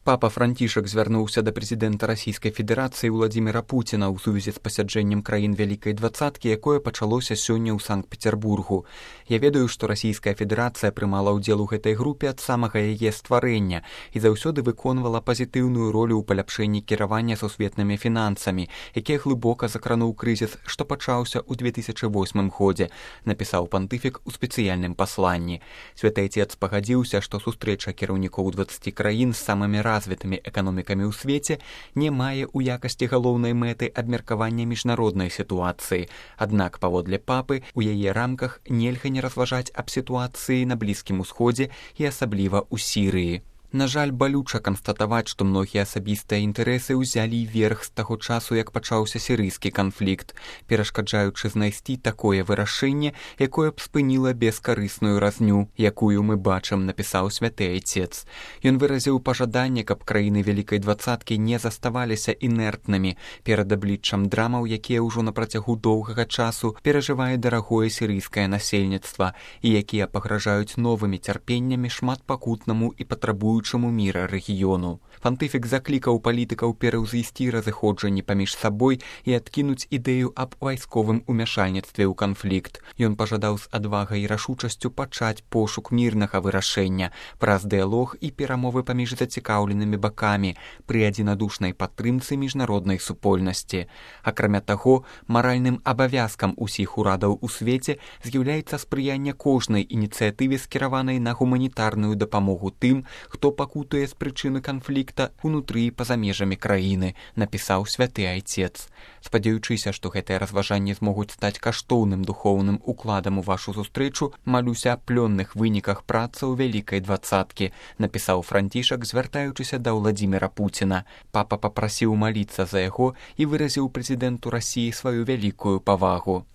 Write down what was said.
Папа Францішак звярнуўся да прэзідэнта Расійскай Федэрацыі Владзіміра Пуціна ў сувязі з пасяджэннем краін Вялікай двадцаткі, якое пачалося сёння ў Санкт-Пецярбургу. Я ведаю, што Расійская Федэрацыя прымала ўдзел у гэтай групе ад самага яе стварэння і заўсёды выконвала пазітыўную ролю ў паляпшэнні кіравання сусветнымі фінансамі, які глыбока закрануў крызіс, што пачаўся ў 2008 годзе, напісаў пантыфік у спецыяльным пасланні. Святы Отец пагадзіўся, што сустрэча кіраўнікоў 20 краін з самымі развітымі эканомікамі ў свеце не мае ў якасці галоўнай мэты абмеркавання міжнароднай сітуацыі. Аднак, паводле папы, у яе рамках нельга не разважаць аб сітуацыі на Блізкім Усходзе і асабліва ў Сірыі. На жаль, балюча канстатаваць, што многія асабістыя інтарэсы ўзялі верх з таго часу, як пачаўся сірыйскі канфлікт, перашкаджаючы знайсці такое вырашэнне, якое б спыніла бескарысную разню, якую мы бачым, напісаў Святы Отец. Ён выразіў пажаданне, каб краіны Вялікай двадцаткі не заставаліся інертнымі перад абліччам драмаў, якія ўжо на працягу доўгага часу перажывае дарагое сірыйскае насельніцтва і якія пагражаюць новымі цярпеннямі шматпакутнаму і патрабуючаму міра рэгіёну. Пантыфік заклікаў палітыкаў пераўзысці разыходжанні паміж сабой і адкінуць ідэю аб вайсковым умяшальніцтве ў канфлікт. Ён пажадаў з адвагай і рашучасцю пачаць пошук мірнага вырашэння праз дыялог і перамовы паміж зацікаўленымі бакамі пры адзінадушнай падтрымцы міжнароднай супольнасці. Акрамя таго, маральным абавязкам усіх урадаў у свеце з'яўляецца спрыянне кожнай ініцыятыве, скіраванай на гуманітарную дапамогу тым, хто пакутуе з прычыны канфлікта ўнутры і па-за межамі краіны, напісаў Святы Отец. Спадзяючыся, што гэтыя разважанні змогуць стаць каштоўным духоўным укладам у вашу сустрэчу, малюся аб плённых выніках працаў Вялікай двадцаткі, напісаў Францішак, звяртаючыся да Владзіміра Пуціна. Папа папрасіў маліцца за яго і выразіў прэзідэнту Расіі сваю вялікую павагу.